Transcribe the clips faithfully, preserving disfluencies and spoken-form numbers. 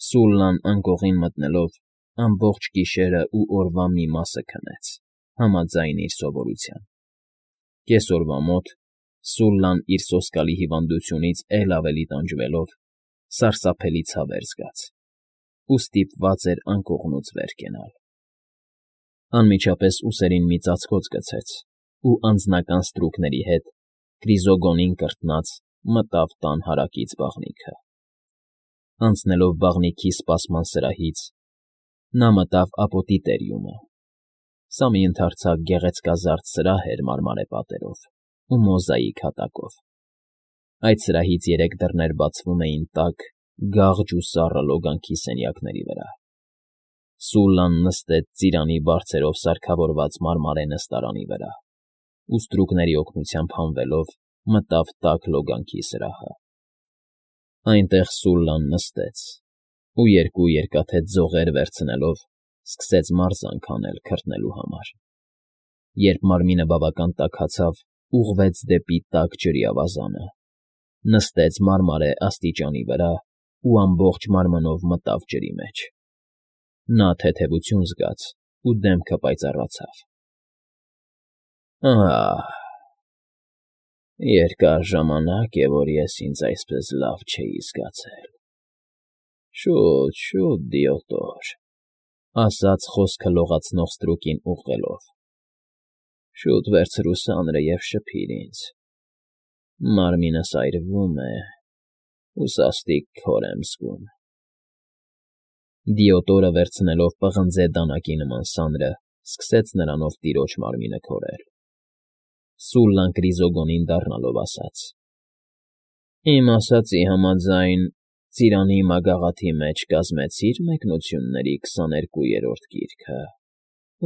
Սուլլան անկողին մտնելով ամբողջ գիշերն ու օրվա մի մասը քնեց, համաձայն իր սովորության. կեսօրվա մոտ Սուլլան իր սոսկալի հիվանդությունից էլ ավելի տանջվելով սարսափելի ցավեր զգաց ու ստիպված էր անկողնուց վեր կենալ. անմիջապես ուսերին մի ծածկոց գցեց ու անձնական ստրուկների հետ Կրիզոգոնին կրտնած մտավ տան հարակից բաղնիքը. անցնելով բաղնիքի սպասման սրահից նա մտավ ապոտի տերիումը. սա մի ընդարձակ գեղեցկազարդ սրահ էր մարմարե պատերով ու մոզաիկ հատակով. այդ սրահից երեք դռներ բացվում էին տաք, գաղջ ու սառը լոգանքի սենյակների վրա. Սուլլան նստեց ծիրանի բարձերով սարքավորված մարմարե նստարանի վրա ու ստրուկների օգնությամբ հանվելով մտավ տաք լոգանքի սրահը. այնտեղ Սուլլան նստեց ու երկու երկաթե ձողեր վերցնելով սկսեց մարզանք անել քրտնելու համար. երբ մարմինը բավական տաքացավ, ուղղվեց դեպի տաք ջրի ավազանը, նստեց մարմարե աստիճանի վրա ու ամբողջ մարմնով մտավ ջրի մեջ. նա թեթևություն զգաց ու դեմքը պայծառացավ. «Ահ, երկար ժամանակ է, որ ես ինձ այսպես լավ չէի զգացել»։ «Շուտ, շուտ, դիոտոր», ասաց խոսքը լողացնող ստրուկին ուղղելով. «շուտ վերցրու սանրը և շփիր ինձ, մարմինս այրվում է ու սաստիկ քոր եմ զգում»։ Դիոտորը վերցնելով պղնձե դանակի նման սանրը, սկսեց նրանով տիրոջ մարմինը քորել. Սուլլան Կրիզոգոնին դառնալով ասաց. «Իմ ասածի համաձայն, ծիրանի մագաղաթի մեջ կազմեցի՞ր մեկնությունների քսաներկուերորդ գիրքը,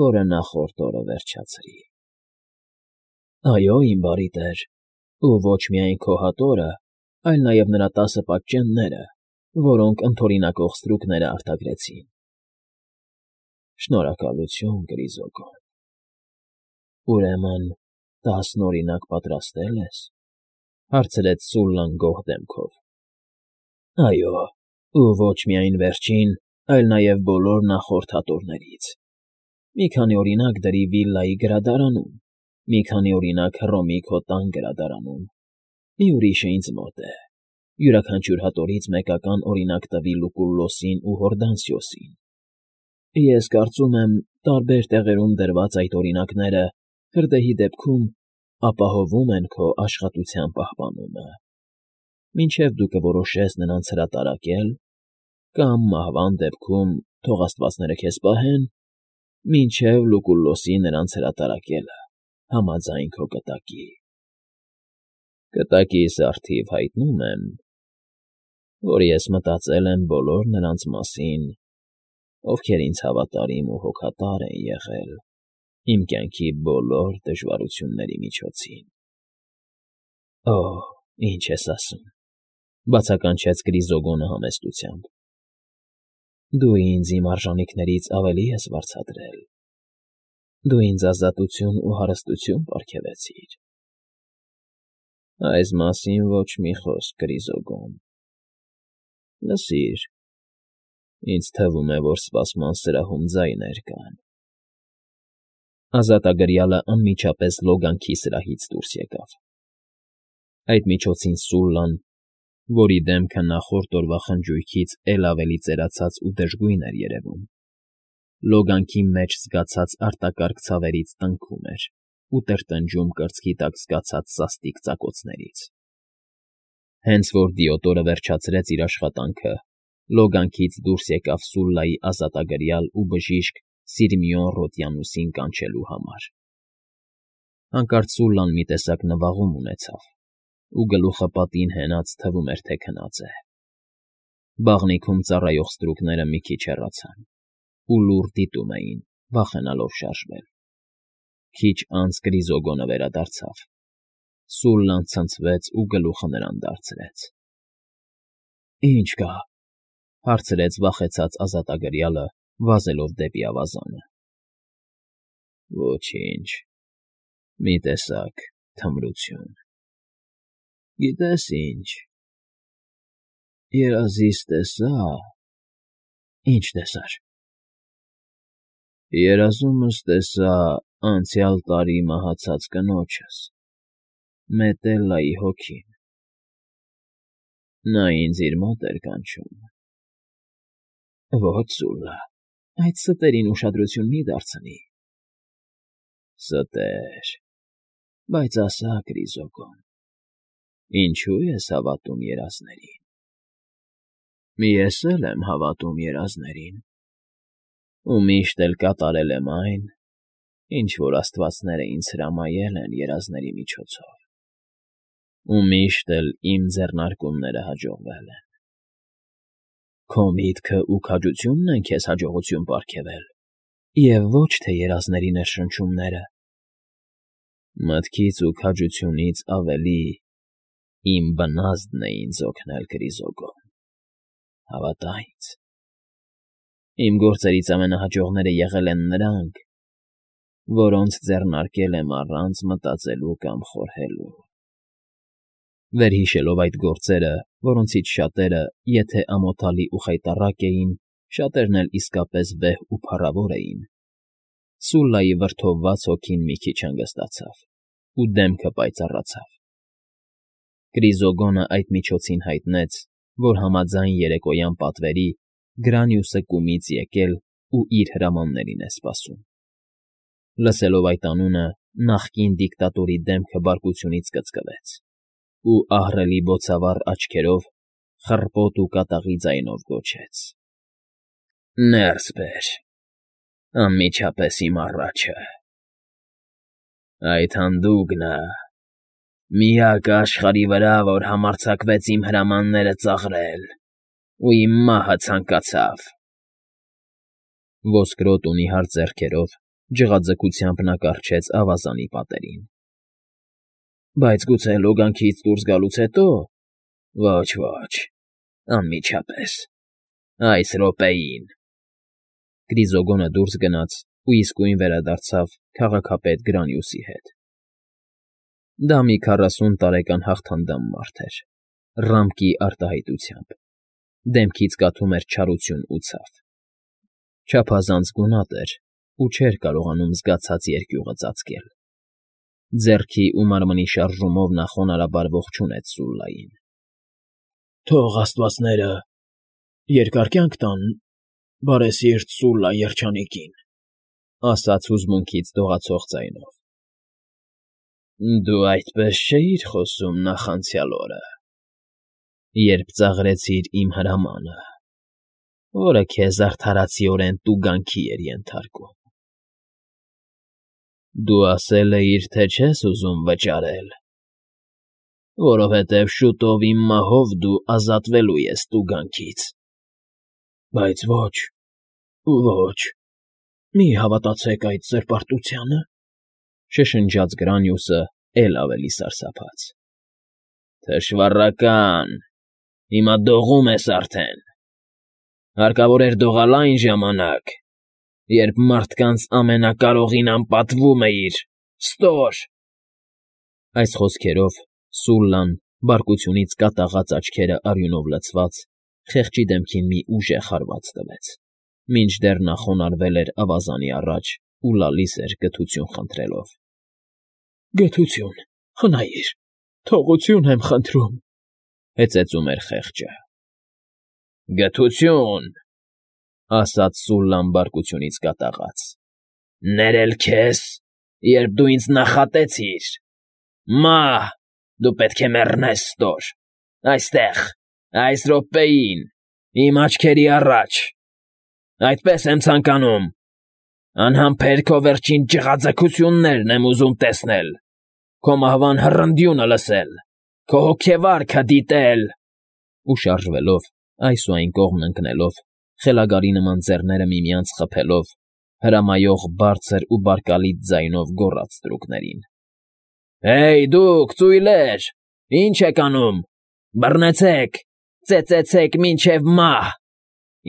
որը նախորդ օրը վերջացրի»։ «Այո, իմ բարի տեր, ու ոչ միայն քո հատորը, այլ նաև նրա տասը պատճենները, որոնք ընդօրինակող ստրուկները արձակեցին»։ «Շնորհակալություն, Կրիզոգոն, ուրեմն տասնօրինակ պատրաստել ես»։ հարցրեց Սուլլան գոհ դեմքով։ «Այո, ու ոչ միայն վերջին, այլ նաև բոլոր նախորդ հատորներից. մի քանի օրինակ դրի վիլլայի գրադարանում, մի քանի օրինակ Հռոմի քո տան գրադարանում, մի ուրիշը ինձ մոտ է, յուրաքանչյուր հատորից մեկական օրինակ տվի Լուկուլլոսին ու Հորդանսիոսին։ Ես կարծում եմ, տարբեր տեղերում դրված այդ օրինակները, հրդեհի դեպքում, ապահովում են քո աշխատության պահպանումը, մինչև դու կորոշես նրանց հրատարակել կամ մահվան դեպքում, թող աստվածները քեզ պահեն, մինչև Լուկուլլոսի նրանց հրատարակելը համաձայն քո կտակի։ Կտակիս առթիվ հայտնում եմ, որ ես մտածել եմ բոլոր նրանց մասին, ովքեր ինձ հավատարիմ ու հոգատար են եղել իմ կյանքի բոլոր դժվարությունների միջոցին»։ «Օ՜, ինչ ես ասում», բացականչեց Կրիզոգոնը համեստությամբ։ «Դու ինձ իմ արժանիքներից ավելի ես վարձատրել, դու ինձ ազատություն ու հարստություն պարգևեցիր»։ «Այս մասին ոչ մի խոսք, Կրիզոգոն։ Լսիր, ինձ թվում է, որ սպասման սրահում ձայներ կան»։ Ազատագրյալը անմիջապես լոգանքի սրահից դուրս եկավ. այդ միջոցին Սուլլան, որի դեմքը նախորդ օրվա խնջույքից էլ ավելի ծերացած ու դժգույն էր երևում, լոգանքի մեջ զգացած արտակարգ ցավերից տնքում էր ու տրտնջում կրծքի տակ զգացած սաստիկ ծակոցներից։ Հենց որ Դիոտորը վերջացրեց իր աշխատանքը, լոգանքից դուրս եկավ Սուլլայի ազատագրյալ ու բժիշկ Սիրմիոն Ռոդիանուսին կանչելու համար։ Հանկարծ Սուլլան մի տեսակ նվաղում ունեցավ ու գլուխը պատին հենած թվում էր, թե քնած է։ Բաղնիքում ծառայող ստրուկները մի քիչ հեռացան ու լուռ դիտում էին, վախենալով շարժվել։ Քիչ անց Կրիզոգոնը վերադարձավ։ Սուլլան ցնցվեց ու գլուխը նրան դարձրեց։ «Ի՞նչ կա», հարցրեց վախեցած ազատագրյալը, վազելով դեպի ավազանը։ «Ոչինչ, մի տեսակ թմրություն։ Գիտե՞ս ինչ, երազիս տեսա, Ինչ տեսար։ Երազումս տեսա անցյալ տարի մահացած կնոջս, Մետելլայի հոգին. նա ինձ իր մոտ էր կանչում։ Ոչ, Սուլլա, այդ ստերին ուշադրություն մի դարձնի։ Ստեր, բայց ասա, Կրիզոգոն, ինչո՞ւ ես հավատում երազներին։ Ես էլ եմ հավատում երազներին, ու միշտ էլ կատարել եմ այն, ինչ որ աստվածները ինձ հրամայել են երազների միջոցով, ու միշտ էլ իմ ձեռնարկումները հաջողվել են։ Քո միտքն ու քաջությունն են քեզ հաջողություն պարգևել, և ոչ թե երազների ներշնչումները։ Մտքից ու քաջությունից ավելի իմ բնազդն է ինձ օգնել, Կրիզոգոն, հավատա ինձ։ Իմ գործերից ամենահաջողները եղել են նրանք, որոնց ձեռնարկել եմ առանց մտածելու կամ խորհելու։ Վերհիշելով այդ գործերը, որոնցից շատերը, եթե ամոթալի ու խայտառակ էին, շատերն էլ իսկապես վեհ ու փառավոր էին, Սուլլայի վրդովված հոգին մի քիչ հանգստացավ, ու դեմքը պայծառացավ։ Կրիզոգոնը այդ միջոցին հայտնեց, որ համաձայն երեկոյան պատվերի Գրանիուսը կումից եկել ու իր հրամաններին է սպասում։ Լսելով այդ անունը, նախկին դիկտատորի դեմքը բարկությունից կծկվեց, ու ահռելի բոցավառ աչքերով խռպոտ ու կատաղի ձայնով գոչեց. Ներս բեր, անմիջապես իմ առաջը։ Այդ հանդուգնը միակը աշխարհի վրա, որ համարձակվեց իմ հրամանները ծաղրել ու իմ մահը ցանկացավ։ Ոսկրոտ ու նիհար ձեռքերով ջղաձգությամբ նա կառչեց ավազանի պատերին։ Բայց գուցե լոգանքից դուրս գալուց հետո։ Ոչ, ոչ, անմիջապես, այս րոպեին։ Կրիզոգոնը դուրս գնաց ու իսկույն վերադարձավ քաղաքապետ Գրանիուսի հետ։ Դա մի քառասուն տարեկան հաղթանդամ մարդ էր, ռամկի արտահայտությամբ, դեմքից կաթում էր չարություն ու ցավ։ Չափազանց գունատ էր ու չէր կարողանում զգացած երկյուղը ծածկել։ Ձեռքի ու մարմնի շարժումով նա խոնարհաբար ողջունեց Սուլլային։ Թող աստվածները երկար կյանք տան բարեսիրտ Սուլլա երջանիկին, ասաց հուզմունքից դողացող ձայնով։ Դու այդպես չէիր խոսում նախանցյալ օրը, երբ ծաղրեցիր իմ հրամանը, որը քեզ արդարացիորեն տուգանքի էր ենթարկում։ Դու ասել էիր, թե չես ուզում վճարել, որովհետև շուտով իմ մահով դու ազատվելու ես տուգանքից։ Բայց ոչ, ոչ, մի հավատացեք այդ զրպարտությանը, շշնջաց Գրանիուսը էլ ավելի սարսափած։ Թշվառական, հիմա դողում ես արդեն։ Հարկավոր էր դողալ այն ժամանակ, երբ մարդկանց ամենակարողին անպատվում էիր, ստոր։ Այս խոսքերով Սուլլան, բարկությունից կատաղած աչքերը արյունով լցված, խեղճի դեմքին մի ուժեղ հարված տվեց, մինչդեռ նա խոնարհվել էր ավազանի առաջ ու լալիս էր գթություն խնդրելով։ Գթություն, խնայիր, թողություն եմ խնդրում, հեծեծում էր խեղճը։ Գթություն, ասաց Սուլլան բարկությունից կատաղած, ներել քեզ, երբ դու ինձ նախատեցիր։ Մահ, դու պետք է մեռնես, ստոր, այստեղ, այս րոպեին, իմ աչքերի առաջ։ Այդպես եմ ցանկանում։ Անհամբեր քո վերջին ջղաձգություններն եմ ուզում տեսնել, քո մահվան հռնդյունը լսել, քո հոգեվարքը դիտել։ Ու շարժվելով, այս ու այն կողմն ընկնելով, խելագարի նման ձեռները միմյանց խփելով, հրամայող բարձր ու բարկալից ձայնով գոռաց ստրուկներին. Հեյ, դուք, ծույլեր, ինչ եք անում, բռնեցեք, ծեծեցեք մինչև մահ,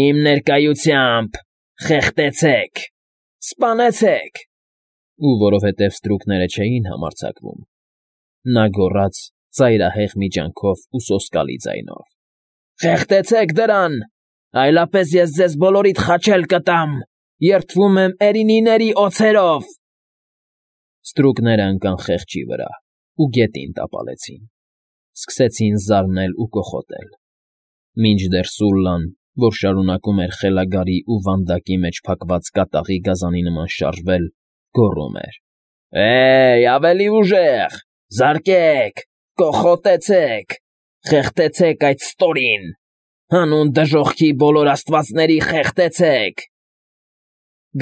իմ ներկայությամբ խեղդեցեք, սպանեցեք։ Ու որովհետև ստրուկները չէին համարձակվում, նա գոռաց ծայրահեղ մի ջանքով ու սոսկալի ձայնով. Խեղդեցեք դրան, Այլապես ես ձեզ բոլորիդ խաչել կտամ, երդվում եմ էրինիների օձերով։ Ստրուկները ընկան խեղճի վրա ու գետին տապալեցին, սկսեցին զարնել ու կոխոտել, մինչդեռ Սուլլան, որ շարունակում էր խելագարի ու վանդակի մեջ փակված կատաղի գազանի նման շարժվել, գոռում էր. «Է՜յ, ավելի ուժեղ, զարկեք, կոխոտեցեք, խեղդեցեք այդ ստորին, հանուն դժոխքի բոլոր աստվածների խեղդեցեք»։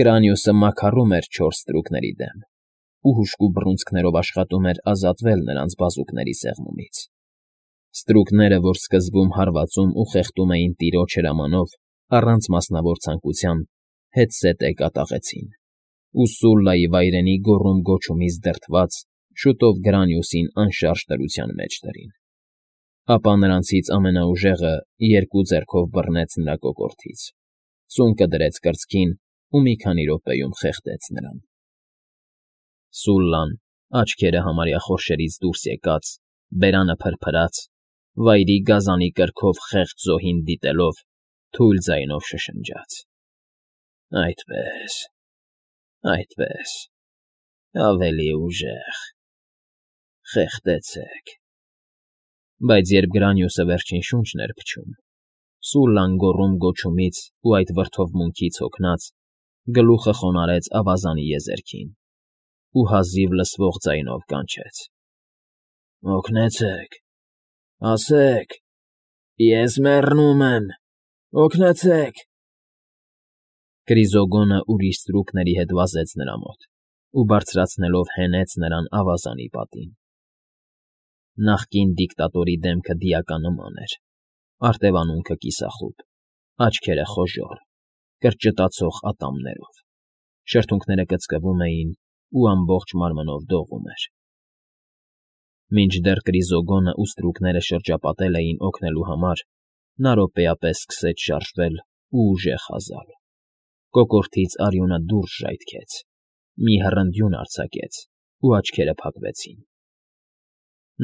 Գրանիուսը մաքարում էր չորս ստրուկների դեմ ու հուժկու բռունցքներով աշխատում էր ազատվել նրանց բազուկների սեղմումից։ Ստրուկները, որ սկզբում հարվածում ու խեղդում էին տիրոջ հրամանով, առանց մասնավոր ցանկության, հետզհետե կատաղեցին, ու Սուլլայի վայրենի գոռում֊գոչումից դրդված, շուտով Գրանիուսին անշարժ դրության մեջ դրին։ Ապա նրանցից ամենաուժեղը երկու ձեռքով բռնեց նրա կոկորդից, ծունկը դրեց կրծքին ու մի քանի րոպեում խեղդեց նրան։ Սուլլան, աչքերը համարյա խորշերից դուրս եկած, բերանը փրփրած, վայրի գազանի կրքով խեղճ զոհին դիտելով, թույլ ձայնով շշնջաց. «Այդպես, այդպես, ավելի ուժեղ, խեղդեցեք»։ Բայց երբ Գրանիուսը վերջին շունչն էր փչում, Սուլլան գոռում֊գոչումից ու այդ վրդովմունքից հոգնած, գլուխը խոնարհեց ավազանի եզերքին ու հազիվ լսվող ձայնով կանչեց. «Օգնեցե՛ք, ասեք, ես մեռնում եմ, օգնեցե՛ք»։ Կրիզոգոնը ուրիշ ստրուկների հետ վազեց նրա մոտ ու բարձրացնելով հենեց նրան ավազանի պատին։ Նախկին դիկտատորի դեմքը դիականման էր, արտևանունքը կիսախուտ, աչքերը խոժոռ, կրճտացող ատամներով, շրթունքները կծկվում էին ու ամբողջ մարմնով դողում էր։ Մինչդեռ Կրիզոգոնը ու ստրուկները շրջապատել էին օգնելու համար, նա րոպեապես սկսեց շարժվել ու ուժեղ հազալ։ Կոկորդից արյունը դուրս ժայթքեց, մի հռնդյուն արձակեց ու աչքերը փակվեցին։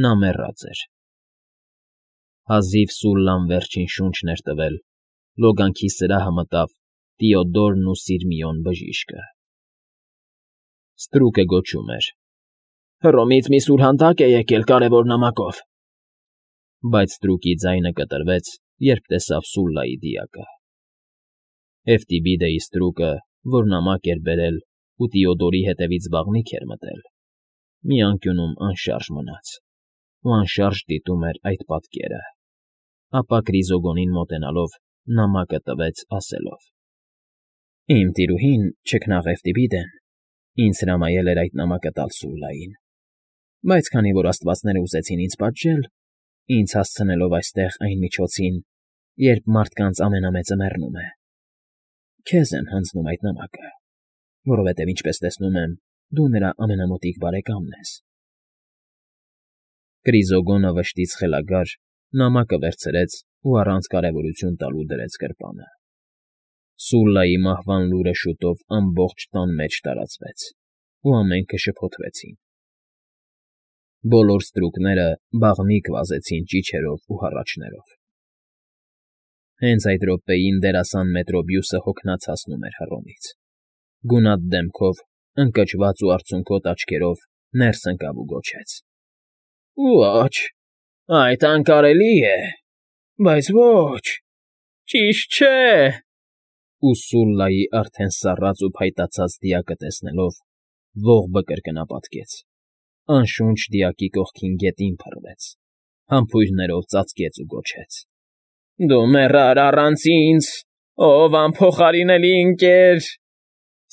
Նա մեռած էր։ Հազիվ Սուլլան վերջին շունչն էր տվել, լոգանքի սրահը մտավ Տեոդորն ու Սիրմիոն բժիշկը։ Ստրուկը գոչում էր. «Հռոմից մի սուրհանդակ է եկել կարևոր նամակով»։ Բայց ստրուկի ձայնը կտրվեց, երբ տեսավ Սուլլայի դիակը։ Էվտիբիդեի ստրուկը, որ նամակ էր բերել ու Տեոդորի հետևից վաղնիք էր մտել, մի անկյունում անշարժ մնաց ու անշարժ դիտում էր այդ պատկերը, ապա Կրիզոգոնին մոտենալով նամակը տվեց, ասելով. «Իմ տիրուհին, չքնաղ Էվտիբիդեն, ինձ հրամայել էր այդ նամակը տալ Սուլլային, բայց քանի որ աստվածները ուզեցին ինձ պատժել, ինձ հասցնելով այստեղ այն միջոցին, երբ մարդկանց ամենամեծը մեռնում է, քեզ եմ հանձնում այդ նամակը, որովհետև, ինչպես տեսնում եմ, դու նրա ամենամոտիկ բարեկամն ես»։ Կրիզոգոնը վշտից խելագար նամակը վերցրեց ու առանց կարևորություն տալու դրեց գրպանը։ Սուլլայի մահվան լուրը շուտով ամբողջ տան մեջ տարածվեց, ու ամենքը շփոթվեցին։ Բոլոր ստրուկները բաղնիք վազեցին ճիչերով ու հառաչներով։ Հենց այդ րոպեին դերասան Մետրոբիուսը հոգնած հասնում էր Հռոմից։ Գունատ դեմքով, ընկճված ու արցունքոտ աչքերով ներս ընկավ ու գոչեց. «Ոչ, այդ անկարելի է, բայց ոչ, ճիշտ չէ»։ Ու Սուլլայի արդեն սառած ու փայտացած դիակը տեսնելով, ողբը կրկնապատկեց, անշունչ դիակի կողքին գետին փռվեց, համբույրներով ծածկեց ու գոչեց. «Դու մեռար առանց ինձ, ով անփոխարինելի ընկեր,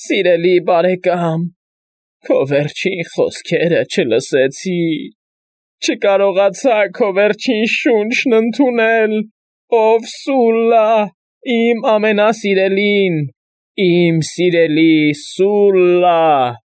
սիրելի բարեկամ, քո վերջին խոսքերը չլսեցի, չկարողացա քո վերջին շունչն ընդունել, ով Սուլլա, իմ ամենասիրելին, իմ սիրելի Սուլլա»։